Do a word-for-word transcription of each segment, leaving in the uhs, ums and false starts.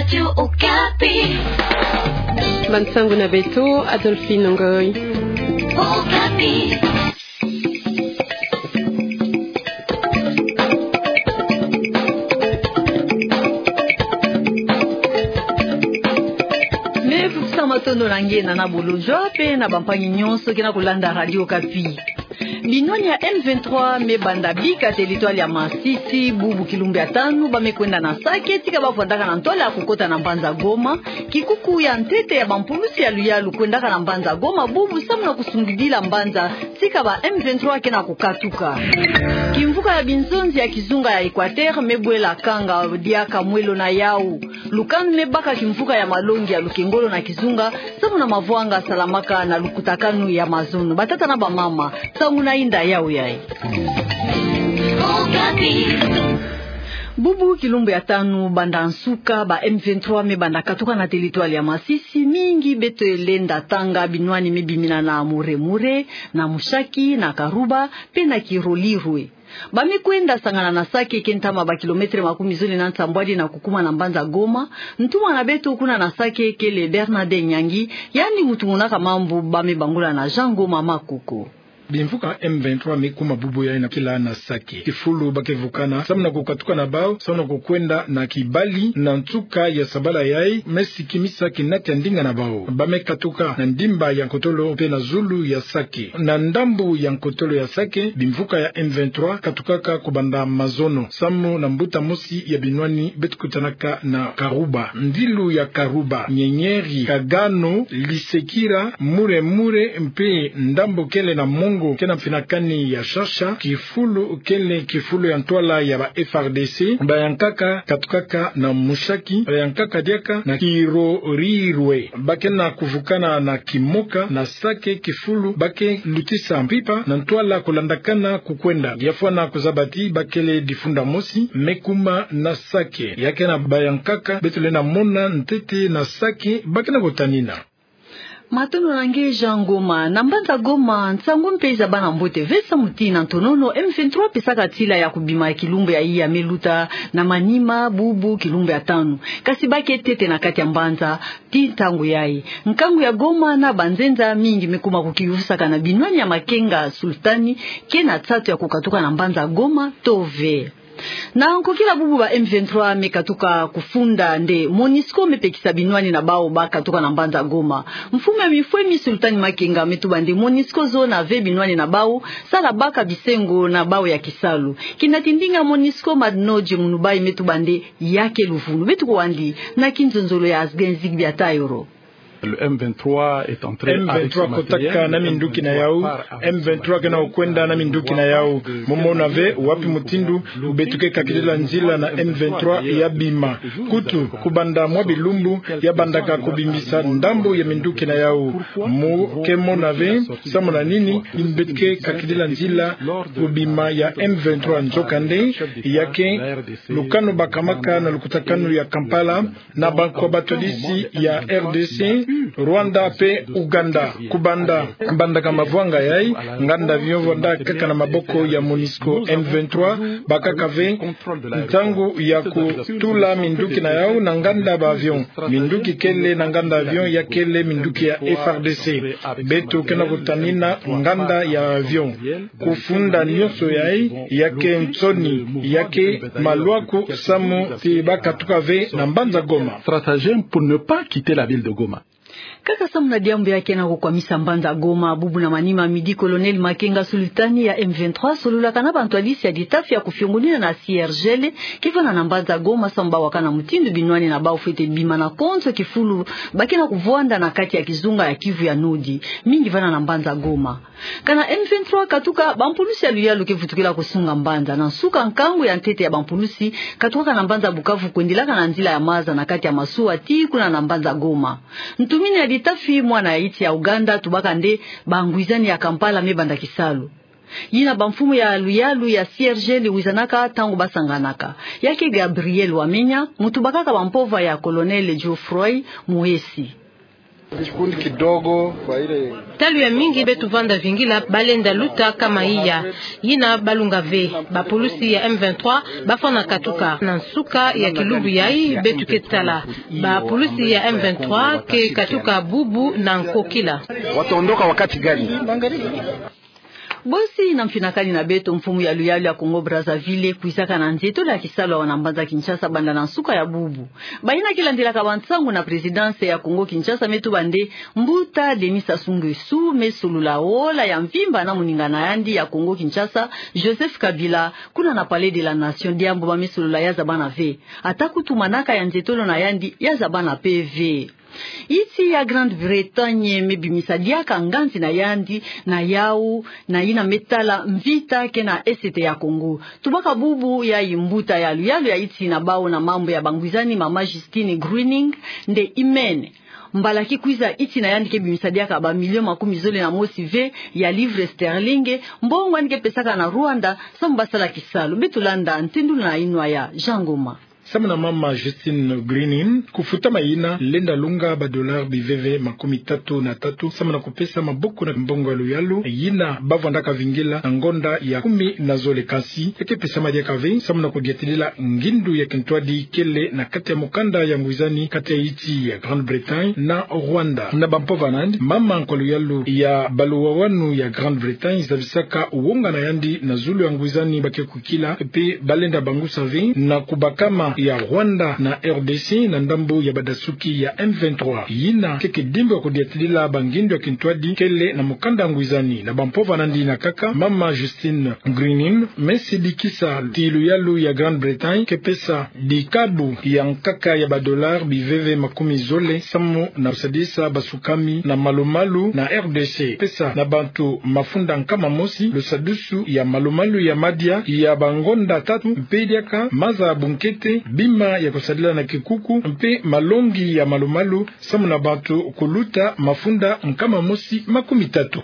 Radio Okapi. Bansangu na beto, Adolphine Ngoy. Okapi. Me fukisa matondo na nge na na bolonjwa pe na bampangi nyonso ke na kolanda Radio Okapi. Binwani ya M vingt-trois me banda bika territoire ya Masisi, bubu kilumbu ya tanu, ba me kwenda na Sake, tika ba vwandaka na ntwala ya kukota na mbanza Goma. Kikuku ya ntete ya bampulusi ya luyalu kwendaka na mbanza Goma bubu samu na kusungidila mbanza, tika ba M vingt-trois ke na kukatuka. Kimvuka ya binzonzi ya kizunga ya Equateur me bwela kanga diaka mwelo na yau. Lukanu me baka kimvuka ya malongi ya lukengolo na kizunga, samu na mavwanga salamaka na lukutakanu ya mazono. Batata na bamama, nsangu na inda yau yayi. Bubu kilumbu ya tanu banda nsuka ba M vingt-trois me banda katuka na territoire ya Masisi, mingi beto lenda tanga binwani me bimina na Muremure, na Mushaki, na Karuba, pe na Kilolirwe. Ba me kwenda sangana na Sake, ke ntama ba kilomètre makumi zole na nsambwadi na kukuma na mbanza Goma. Ntumwa na beto kuna na Sake kele Bernard Nyangi, yandi muntu monaka mambu ba me bangula na Jean Ngoma Makoko. Bimvuka M vingt-trois me kuma bubu yayi na kila na Sake. Kifulu ba ke vukana samu na kukatuka na bau, samu na kukwenda na Kibali na nsuka ya sabala yayi, me sikimisa kinati ya ndinga na bau. Ba me katuka na ndimba ya nkotolo pe na zulu ya Sake. Na ndambu ya nkotolo ya Sake, bimvuka ya M vingt-trois katukaka kubanda mazono samu na mbuta mosi ya binwani beto kutanaka na Karuba. Ndilu ya Karuba, Nyenyeri, Kagano, Lisekira, Muremure, mpe ndambu kele na Mongo, ke na mfinakani ya Shasha, kifulu kele kifulu ya ntwala ya ba F R D C, bayankaka katukaka na Mushaki, bayankaka diaka na Kilolirwe. Ba ke na kuvukana na Kimoka, na Sake, kifulu ba ke lutisa mpimpa na ntwala kulandakana kukwenda. Ya fwana kuzaba ti ba kele difunda mosi me kuma na Sake. Ya ke na bayankaka beto lenda mona ntete na Sake ba ke na kutanina. Matondo na nge Jean Ngoma. Na mbanza Goma, nsangu mpe iza bana mbote ve samu ti na ntonono M vingt-trois pesaka tila ya kubima kilumbu yayi ya me luta na manima bubu kilumbu ya tanu. Kasi ba ke ntete na kati ya mbanza ti ntangu yayi. Nkangu ya Goma na banzenza mingi me kuma kukiyufusaka na binwani ya Makenga Sultani, ke na nsatu ya kukatuka na mbanza Goma to ve. Na nkokila bubu ba M vingt-trois me katuka kufunda nde MONUSCO me pekisa binwani na bau ba katuka na mbanza Goma. Mfumu ya mifwemi Sultani Makenga me tuba nde MONUSCO zona ve binwani na bau, sala baka bisengo na bau ya kisalu. Kinati ndinga MONUSCO Madnodje Munubai me tuba nde ya ke luvunu. Beto kwandi na kinzonzolo ya Asgen Zigbia Tayoro. Le M vingt-trois est entré avec son matériel. M vingt-trois kotaka na minduki na yau. M vingt-trois ke na kukwenda na minduki na yau. Mu mona ve wapi mutindu beto ke kakidila nzila na M vingt-trois ya bima. Kutu, kubanda mwa bilumbu, ya bandaka kubimisa ndambu ya minduki na yau. Mu ke mona ve samu na nini beto ke kakidila nzila kubima ya M vingt-trois. Nzokande, ya ke lukanu ba kamaka na lukutakanu ya Kampala, na bankwa batwadisi ya R D C, Rwanda pe Uganda. Kubanda, bandaka mavwanga yayi, nganda avion vwanda kaka na maboko ya MONUSCO. M vingt-trois bakaka ve ntangu ya kutula minduki na yau na nganda ba avion. Minduki kele na nganda avion ya kele minduki ya F R D C. Beto ke na kutanina nganda ya avion. Kufunda nyonso yayi ya ke nsoni, ya ke malwaku samu ti ba katuka ve na mbanza Goma. Stratagème pour ne pas quitter la ville de Goma. Kaka samu na diambu ya ke na kukwamisa mbanza Goma, bubu na manima midi, Colonel Makenga Sultani ya M vingt-trois sololaka na bantwadisi ya ditafi ya kufiongonina na C R G L ke vanda na mbanza Goma samu ba wakana mutindu binwani na bau fwete bima na konso kifulu ba ke na kuvwanda na kati ya kizunga ya Kivu ya Nodi, mingi vanda na mbanza Goma. Kana M vingt-trois katuka, bampulusi ya luyalu ke vutukila kusunga mbanza. Na nsuka, nkangu ya ntete ya bampulusi katukaka na mbanza Bukavu kwendilaka na nzila ya maza na kati ya masuwa tii kuna na mbanza Goma. Ntumini ya ditafi, mwana ya iti ya Uganda, tubaka nde bangwizani ya Kampala me banda kisalu. Yina bamfumu ya luyalu ya C R G L wizanaka ntangu ba sanganaka. Ya ke Gabriel Wamenya, muntu bakaka bampova ya Colonel Geoffroy Muhesi. Kikundi kidogo kwa ile. Talu ya mingi beto vanda vingila, balenda luta kama iya. Yina balunga ve. Bapulusi ya M vingt-trois bafwana katuka. Na nsuka ya kilubu yayi beto ke tala, bapulusi ya M vingt-trois ke katuka bubu na nkokila. Wataondoka wakati gani? Bosi na mfinakani na beto, mfumu ya luyalu ya Congo Brazzaville kwizaka na nzietolo ya kisalu awa na mbanza Kinshasa banda na nsuka ya bubu. Bayina ke landilaka bansangu na présidence ya Congo Kinshasa me tuba nde mbuta Denis Sassou Nguesso me solola ola ya mvimba na moningana yandi ya Congo Kinshasa, Joseph Kabila, kuna na Palais de la Nation, diambu ba me solola ya zabana ve. Ata kutu manaka ya nzietolo na yandi ya zabana pe ve. Insi ya Grande-Bretagne me bimisa diaka nganzi na yandi na yawu na yina me tala mvita ke na Est ya Congo. Tubaka bubu yayi mbuta ya luyalu ya insi na bawu na mambu ya bangwizani, mama Justine Greening, nde imene. Mbala ki kwiza insi na yandi ke bimisa diaka ba million makumi zole na mosi ve ya livres sterling, mbongo yandi ke pesaka na Rwanda, samu ba sala kisalu. Beto landa ntendulu na yinwa ya Jean Ngoma. Samu na mama Justine Greening, kufutama yina lenda longa ba dollars biveve makumi tatu na tatu, samu na kupesa maboko na mbongo ya luyalu yina ba vwandaka vingila na ngonda ya kumi na zole, kansi ya ke pesama diaka ve samu na kudiatidila ngindu ya kintwadi kele na kati ya mukanda ya ngwizani kati ya insi ya Grande-Bretagne na Rwanda. Na bampova na yandi, mama nkwa luyalu ya baluwawanu ya Grande-Bretagne zabisaka wonga na yandi na zulu ya ngwizani ba ke kukila, mpe balenda bangusa ve na kubakama ya Rwanda na R D C na ndambu ya badasuki ya M vingt-trois. Yina ke kidimbu ya kudiatidila bangindu ya kintwadi kele na mukanda ngwizani. Na bampova na yandi yina kaka, mama Justine Greening me sidikisa ti luyalu ya Grande-Bretagne ke pesa dikabu ya nkaka ya ba dollars biveve makumi zole samu na kusadisa basukami na malumalu na R D C. Pesa na bantu mafunda nkama mosi lusadusu ya malumalu ya madia ya bangonda tatu, mpe diaka maza bunkete, bima ya kusadila na kikuku, mpe malongi ya malumalu samu na bantu kuluta mafunda nkama mosi makumi tatu.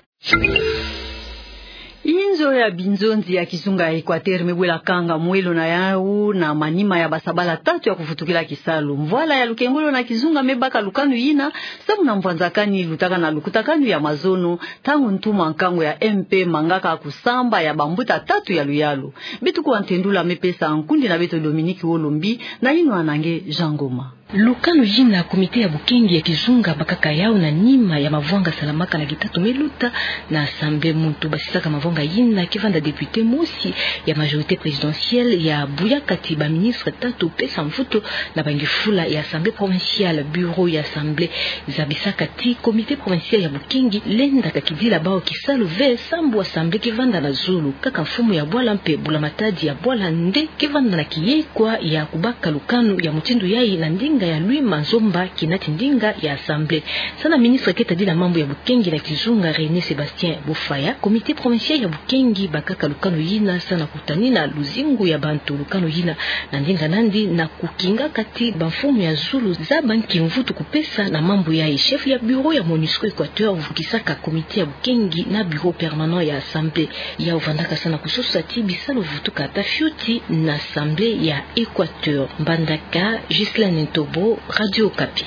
Inzo ya binzonzi ya kizunga ya Equateur me bwela kanga mwelo na yawu na manima ya basabala tatu ya kuvutukila kisalu. Mvwala ya lukengolo na kizunga me baka lukanu yina samu na mvwanzakani lutaka na lukutakanu ya mazono, ntangu ntuma nkangu ya M P mangaka kusamba ya bambuta tatu ya luyalu. Beto kuwa ntendula me pesa nkundi na beto Dominique Wolombi na yinwa na nge Jean Ngoma. Lukanu yina komite ya bukengi ya kizunga bakaka yawu na nima ya mavwanga salamaka na kitatu me luta na Assemblée. Muntu basisaka mavwanga yina ke vanda député mosi ya majorité présidentielle ya buyaka ti baministre tatu pesa mvutu na bangifula ya Assemblée provinciale. Bureau ya Assemblée zabisaka ti komite provinciale ya bukengi lenda kakidila bawu kisalu ve sambu Assemblée ke vanda na zulu. Kaka mfumu ya bwala mpe mbula matadi ya bwala nde ke vanda na kiyekwa ya kubaka lukanu ya mutindu yayi na ndinga ya Louis Manzomba, kinati ndinga ya Assemblée. Samu na ministre ke tadila mambu ya bukengi na kizunga René Sébastien Bofaya, comité provincial ya bukengi bakaka lukanu yina samu na kutanina luzingu ya bantu. Lukanu yina na ndinga na yandi na kukingaka ti bamfumu ya zulu zaba nki mvutu kupesa na mambu yayi. Chef ya bureau ya MONUSCO Équateur vukisaka comité ya bukengi na bureau permanent ya Assemblée. Yawu vandaka samu na kusosa ti bisalu vutuka ata fioti na Assemblée ya Équateur. Mbandaka, Ghislaine Ntobo, Radio Okapi.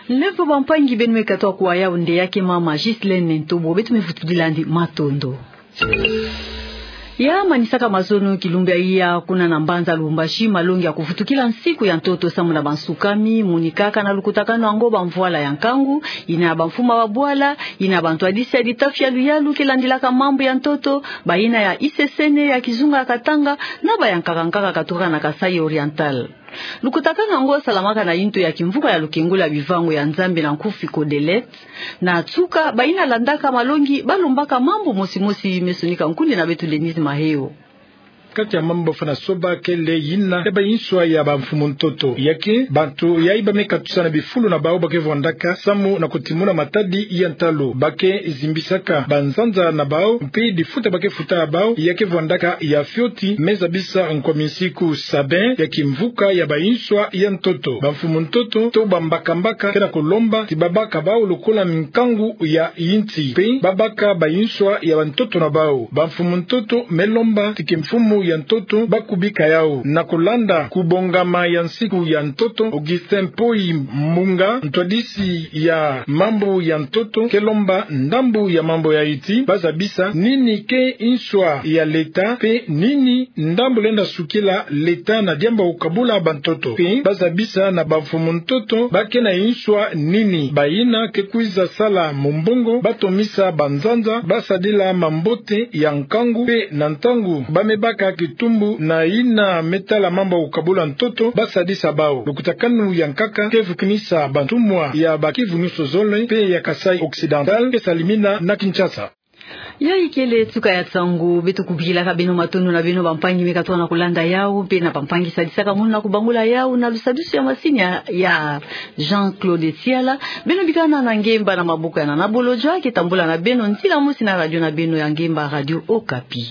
Lemvo bampangi beno me katuka kuwa yawu nde ya ke mama Ghislaine Ntobo, beto me vutudila yandi matondo. Ya manisaka mazono kilumbu ya iya kuna na mbanza Lubumbashi malongi ya kuvutukila nsiku ya ntoto samu na bansukami, monikaka na lukutakanu yango bamvwala ya nkangu, yina ya bamfumu ya babwala, yina ya bantwadisi ya litafi ya luyalu ke landilaka mambu ya ntoto, bayina ya I C C N ya kizunga ya Katanga, na ba ya nkaka nkaka katuka na Kasaï Oriental. Lukutakanu yango salamaka na yintu ya kimvuka ya lukengolo ya bivango ya Nzambi na nkufi CODELET. Na nsuka, bayina landaka malongi balombaka mambu mosi mosi me sonika nkundi na beto Denise Maheo. Kati ya mambu bafwana soba kele yina ya bayinswa ya bamfumu ntoto. Ya ke bantu yayi ba me katusa na bifulu na bawu ba ke vwandaka samu na kutimuna matadi ya ntalu. Ba ke zimbisaka banzanza na bawu, mpe difuta ba ke futa bawu ya ke vwandaka ya fioti, me zabisa nkomi nsiku. Sabin ya kimvuka ya bayinswa ya ntoto. Bamfumu ntoto to bambaka mbaka ke na kulomba ti babaka bawu lokola minkangu ya yinsi, mpe babaka bayinswa ya bantoto na bawu. Bamfumu ntoto me lomba ti kimfumu ya ntoto, ba kubika yau. Na kulanda kubongama ya nsiku ya ntoto, Augustin Mpoyi Mbunga, ntwadisi ya mambu ya ntoto, ke lomba ndambu ya mambu ya iti, ba zabisa nini ke nswa ya leta, mpe nini ndambu lenda sukila leta na diambu ya kukabula bantoto. Mpe ba zabisa na bamfumu ntoto ba ke na nswa nini. Bayina ke kwiza sala mumbongo, ba tomisa banzanza, ba sadila mambote ya nkangu, mpe na ntangu ba me baka kitumbu na yina me tala mambu ya kukabula ntoto, ba sadisa bau. Lukutakanu ya nkaka ke vukinisa bantumwa ya ba Kivu nyonso zole, mpe ya Kasaï Occidental ke salimina na Kinshasa. Yayi kele suka ya nsangu. Beto kubikilaka beno matondo na beno bampangi me katuka na kulanda yau, mpe na bampangi sadisaka nguna kubangula yau na lusadisu ya masini ya, ya Jean-Claude Siala. Beno bikana na ngemba na maboko ya Nana Bolodjwa, ke tambula na beno nzila mosi na radio na beno ya ngemba, Radio Okapi.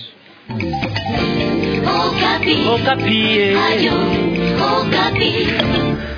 Okapi. Okapi, eh. Radio Okapi.